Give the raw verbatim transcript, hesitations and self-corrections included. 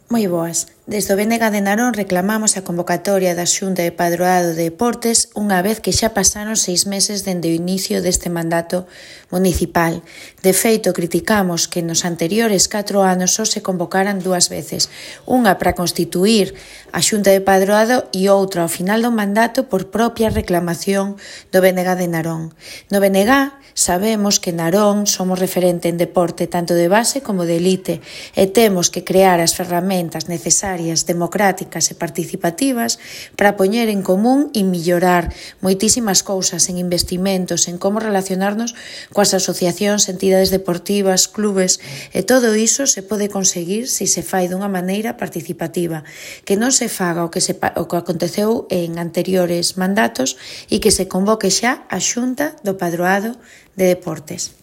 Moi boas. Desde o B N G de Narón reclamamos a convocatoria da Xunta de Padroado de Deportes unha vez que xa pasaron seis meses dende o inicio deste mandato municipal. De feito, criticamos que nos anteriores catro anos só se convocaran dúas veces, unha para constituir a Xunta de Padroado e outra ao final do mandato por propia reclamación do B N G de Narón. No B N G sabemos que Narón somos referente en deporte tanto de base como de elite e temos que crear as ferramentas necesarias democráticas e participativas para poñer en común e mellorar moitísimas cousas en investimentos, en como relacionarnos coas asociacións, entidades deportivas, clubes, e todo iso se pode conseguir se se fai dunha maneira participativa, que non se faga o que, se, o que aconteceu en anteriores mandatos e que se convoque xa a Xunta do Padroado de Deportes.